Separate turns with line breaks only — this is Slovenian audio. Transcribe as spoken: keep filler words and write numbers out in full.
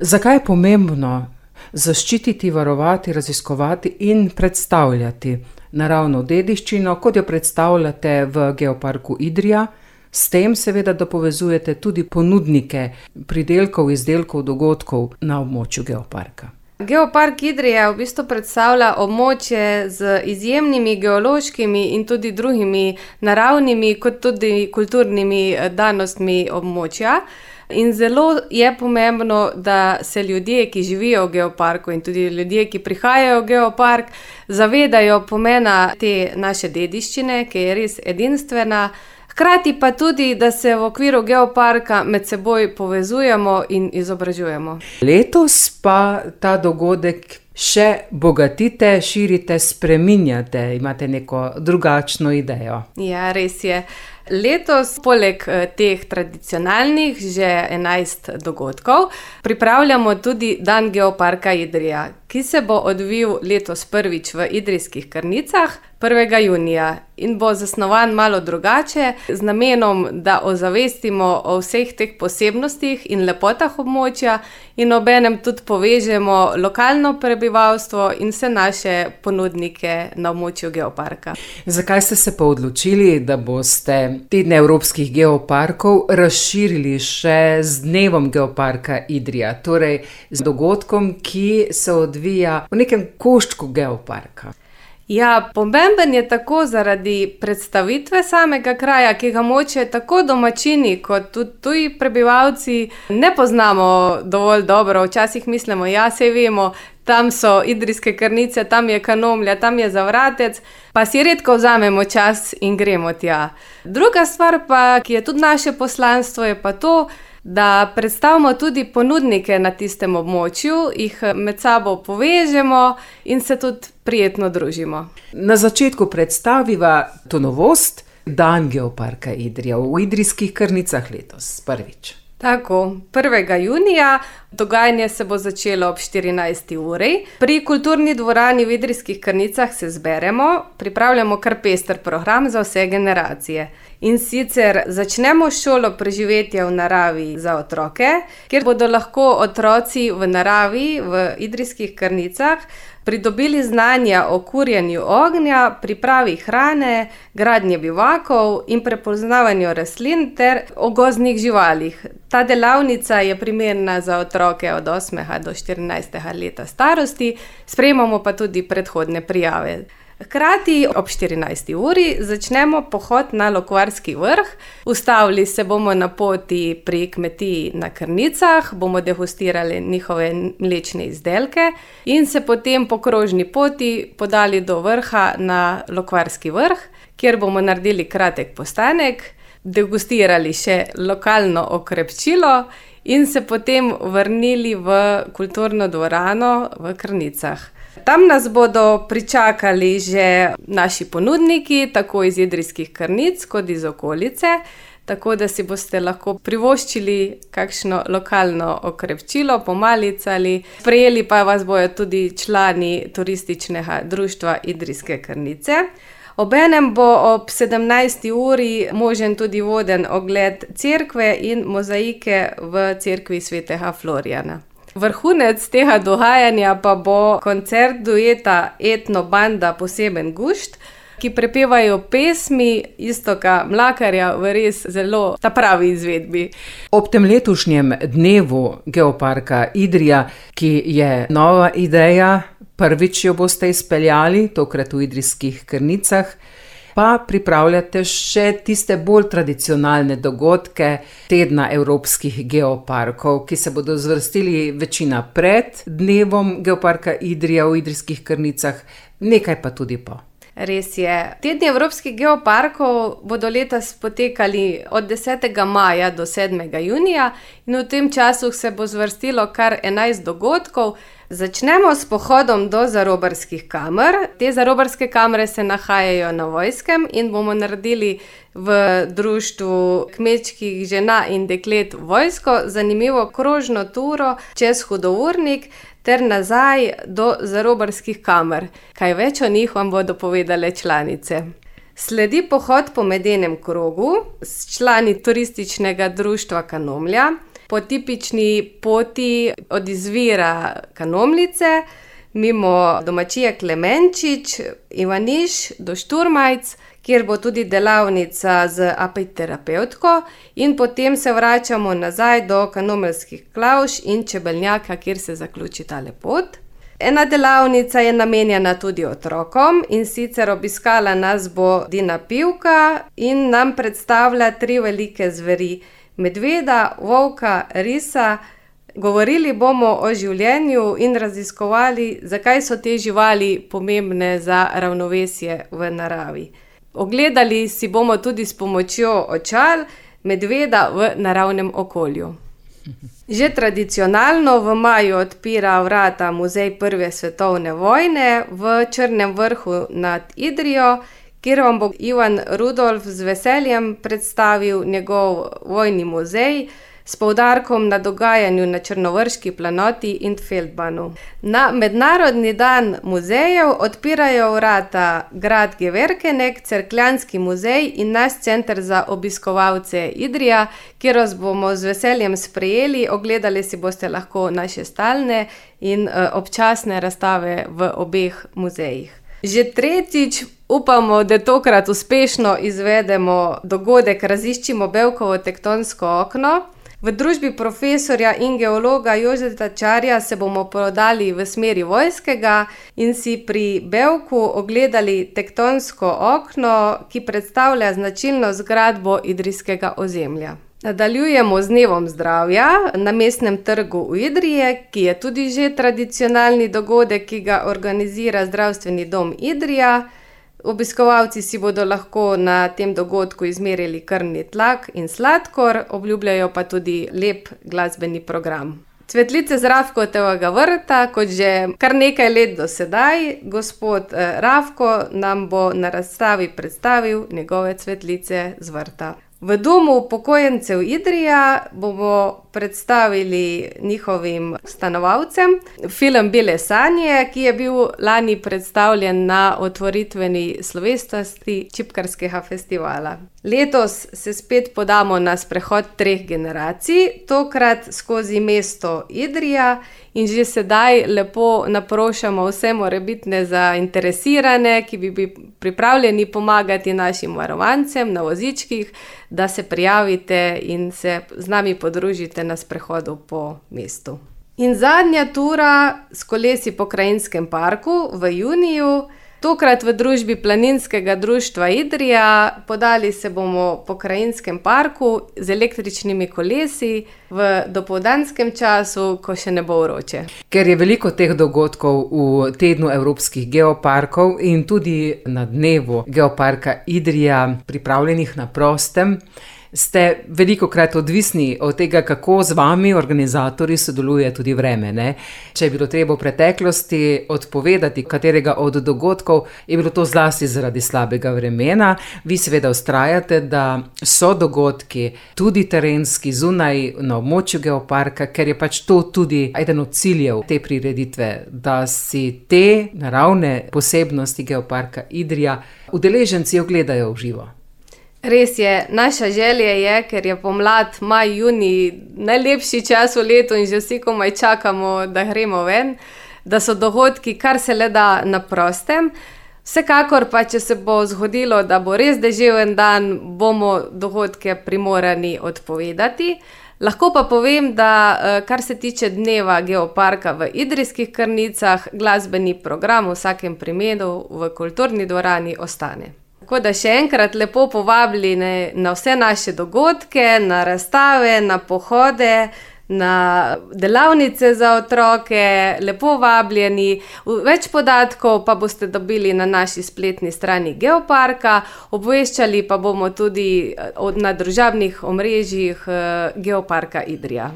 Zakaj je pomembno zaščititi, varovati, raziskovati in predstavljati naravno dediščino, kot jo predstavljate v Geoparku Idrija? S tem seveda, da povezujete tudi ponudnike pridelkov, izdelkov, dogodkov na območju geoparka.
Geopark Idrija v bistvu predstavlja območje z izjemnimi geološkimi in tudi drugimi naravnimi, kot tudi kulturnimi danostmi območja. In zelo je pomembno, da se ljudje, ki živijo v geoparku, in tudi ljudje, ki prihajajo v geopark, zavedajo pomena te naše dediščine, ki je res edinstvena. Hkrati pa tudi, da se v okviru geoparka med seboj povezujemo in izobražujemo.
Letos pa ta dogodek še bogatite, širite, spreminjate, imate neko drugačno idejo.
Ja, res je. Letos, poleg teh tradicionalnih, že enajst dogodkov, pripravljamo tudi Dan Geoparka Idrija, ki se bo odvil letos prvič v Idrijskih Krnicah, prvega junija, in bo zasnovan malo drugače, z namenom, da ozavestimo o vseh teh posebnostih in lepotah območja in obenem tudi povežemo lokalno prebivalstvo in vse naše ponudnike na območju geoparka.
Zakaj ste se pa odločili, da boste tedne evropskih geoparkov razširili še z dnevom Geoparka Idrija, torej z dogodkom, ki se odvija v nekem koščku geoparka?
Ja, pomemben je tako zaradi predstavitve samega kraja, ki ga moče tako domačini kot tudi tuji prebivalci ne poznamo dovolj dobro. Včasih mislimo, ja, saj vemo, tam so Idrijske Krnice, tam je Kanomlja, tam je Zavratec, pa si redko vzamemo čas in gremo tja. Druga stvar pa, ki je tudi naše poslanstvo, je pa to, da predstavimo tudi ponudnike na tistem območju, jih med sabo povežemo in se tudi prijetno družimo.
Na začetku predstaviva to novost, Dan Geoparka Idrija v Idrijskih Krnicah letos, prvič.
Tako, prvega junija, dogajanje se bo začelo ob štirinajsti uri. Pri kulturni dvorani v Idrijskih Krnicah se zberemo, pripravljamo kar pester program za vse generacije. In sicer začnemo šolo preživetja v naravi za otroke, kjer bodo lahko otroci v naravi v Idrijskih Krnicah pridobili znanja o kurjenju ognja, pripravi hrane, gradnje bivakov in prepoznavanju rastlin ter o gozdnih živalih. Ta delavnica je primerna za otroke od osmega do štirinajstega leta starosti, sprejemamo pa tudi predhodne prijave. Hkrati ob štirinajsti uri začnemo pohod na Lokvarski vrh. Ustavili se bomo na poti pri kmetiji na Krnicah, bomo degustirali njihove mlečne izdelke in se potem po krožni poti podali do vrha na Lokvarski vrh, kjer bomo naredili kratek postanek, degustirali še lokalno okrepčilo in se potem vrnili v kulturno dvorano v Krnicah. Tam nas bodo pričakali že naši ponudniki, tako iz Idrijskih Krnic kot iz okolice, tako da si boste lahko privoščili kakšno lokalno okrepčilo, pomalicali, sprejeli pa vas bojo tudi člani turističnega društva Idrijske Krnice. Obenem bo ob sedemnajsti uri možen tudi voden ogled cerkve in mozaike v cerkvi svetega Florijana. Vrhunec tega dogajanja pa bo koncert dueta Etno banda Poseben gušt, ki prepevajo pesmi Iztoka Mlakarja v res zelo ta pravi izvedbi.
Ob tem letošnjem dnevu Geoparka Idrija, ki je nova ideja, prvič jo boste izpeljali, tokrat v Idrijskih Krnicah, pa pripravljate še tiste bolj tradicionalne dogodke tedna evropskih geoparkov, ki se bodo zvrstili večina pred dnevom Geoparka Idrija v Idrijskih Krnicah, nekaj pa tudi po.
Res je. Tedni evropskih geoparkov bodo letos potekali od desetega maja do sedmega junija in v tem času se bo zvrstilo kar enajst dogodkov. Začnemo s pohodom do Zarobarskih kamer. Te Zarobarske kamre se nahajajo na Vojskem in bomo naredili v društvu kmečkih žena in deklet Vojsko zanimivo krožno turo čez Hudournik ter nazaj do Zarobarskih kamer. Kaj več o njih vam bodo povedale članice. Sledi pohod po medenem krogu s člani turističnega društva Kanomlja. po tipični poti od izvira Kanomlice, mimo domačije Klemenčič, Ivaniš do Šturmajc, kjer bo tudi delavnica z apiterapevtko, in potem se vračamo nazaj do Kanomeljskih Klavž in Čebelnjaka, kjer se zaključi tale pot. Ena delavnica je namenjena tudi otrokom, in sicer obiskala nas bo Dina Pivka in nam predstavlja tri velike zveri: medveda, volka, risa. Govorili bomo o življenju in raziskovali, zakaj so te živali pomembne za ravnovesje v naravi. Ogledali si bomo tudi s pomočjo očal medveda v naravnem okolju. Že tradicionalno v maju odpira vrata Muzej prve svetovne vojne v Črnem vrhu nad Idrijo, kjer vam bo Ivan Rudolf z veseljem predstavil njegov vojni muzej s poudarkom na dogajanju na Črnovrški planoti in Feldbanu. Na Mednarodni dan muzejev odpirajo vrata grad Geverkenek, Cerkljanski muzej in naš center za obiskovalce Idrija, kjer vas bomo z veseljem sprejeli. Ogledali si boste lahko naše stalne in občasne razstave v obeh muzejih. Že tretjič upamo, da tokrat uspešno izvedemo dogodek Raziščimo Bevkovo tektonsko okno. V družbi profesorja in geologa Jožeta Čarja se bomo podali v smeri Vojskega in si pri Bevku ogledali tektonsko okno, ki predstavlja značilno zgradbo idrijskega ozemlja. Nadaljujemo z dnevom zdravja na Mestnem trgu v Idriji, ki je tudi že tradicionalni dogodek, ki ga organizira Zdravstveni dom Idrija. Obiskovalci si bodo lahko na tem dogodku izmerili krvni tlak in sladkor, obljubljajo pa tudi lep glasbeni program. Cvetlice z Rafkotovega vrta, kot že kar nekaj let do sedaj, gospod Rafko nam bo na razstavi predstavil njegove cvetlice z vrta. V Domu upokojencev Idrija bomo predstavili njihovim stanovalcem film Bele sanje, ki je bil lani predstavljen na otvoritveni slovesnosti Čipkarskega festivala. Letos se spet podamo na sprehod treh generacij, tokrat skozi mesto Idrija, in že sedaj lepo naprošamo vse morebitne zainteresirane, ki bi bili pripravljeni pomagati našim varovancem na vozičkih, da se prijavite in se z nami podružite na sprehodu po mestu. In zadnja tura s kolesi po Krajinskem parku v juniju, tokrat v družbi Planinskega društva Idrija. Podali se bomo po Krajinskem parku z električnimi kolesi v dopoldanskem času, ko še ne bo vroče.
Ker je veliko teh dogodkov v tednu evropskih geoparkov in tudi na dnevu geoparka Idrija pripravljenih na prostem, ste velikokrat odvisni od tega, kako z vami organizatorji sodeluje tudi vreme, ne? Če je bilo treba v preteklosti odpovedati katerega od dogodkov, je bilo to zlasti zaradi slabega vremena. Vi seveda vztrajate, da so dogodki tudi terenski zunaj na območju geoparka, ker je pač to tudi eden od ciljev te prireditve, da si te naravne posebnosti geoparka Idrija udeleženci ogledajo v živo.
Res je, naša želja je, ker je pomlad, maj, junij, najlepši čas v letu in že vsi komaj čakamo, da gremo ven, da so dogodki kar se le da na prostem. Vsekakor pa, če se bo zgodilo, da bo res deževen dan, bomo dogodke primorani odpovedati. Lahko pa povem, da kar se tiče dneva geoparka v Idrijskih Krnicah, glasbeni program v vsakem primeru v kulturni dvorani ostane. Tako da še enkrat lepo povabljeni na vse naše dogodke, na razstave, na pohode, na delavnice za otroke, lepo vabljeni. Več podatkov pa boste dobili na naši spletni strani geoparka, obveščali pa bomo tudi na družabnih omrežjih geoparka Idrija.